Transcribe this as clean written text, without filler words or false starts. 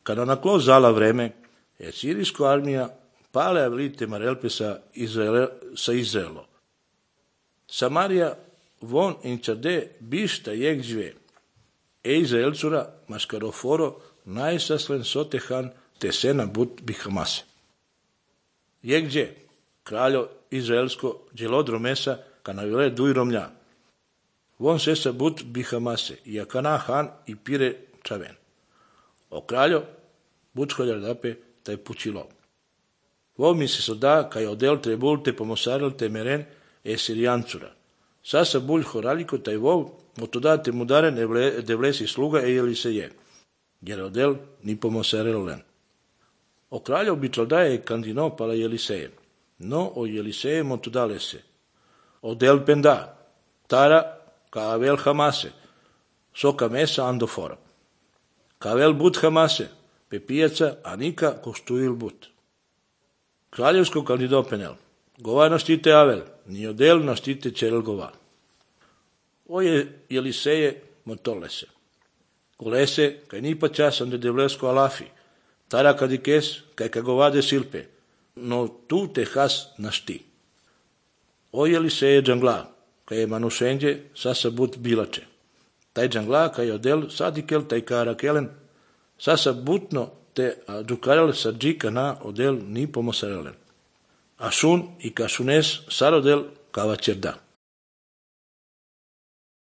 Kada naklo zala vreme, sirijska armija pale avlite marelpe sa Izraelo. Samaria von incade bista jegđve, Izraelcura maskaroforo najsaslen sotehan te sena but bihamase. Jegđe, kraljo Izraelsko, djelodromesa, kanavile dujromlja. Von sesa but bihamase, jakana han i pire čaven. O kraljo, bučkoljar dape, taj pučilo. Vo mi se soda, kaj odel trebul te pomosaril te meren sirijancura. Sasa bulj horaliko taj vov, motoda te mudaren devlesi sluga Eliseje, jer odel ni pomosaril len. O kraljo bičaldaje kandino pala Eliseje, no o Eliseje motodale se. Odel penda, tara kavel hamase, soka mesa andofora. Kavel but hamase, pepijaca anika kostuil but. Kraljevsko kandido penel, gova naštite avel, ni odel naštite čerel gova. Oje Eliseje motolese. Golese, kaj ni pa časan de devlesko alafi, tara kadikes, kaj kagovade silpe, no tu te has našti. Oje Eliseje džangla, kaj je manušenđe, sasa but bilače. Taj džangla, kaj odel sadikel, taj karakelen, sasa butno te dukarel sa džika na odel ni pomosarelen. Ašun i kašunes sarodel kava čerda.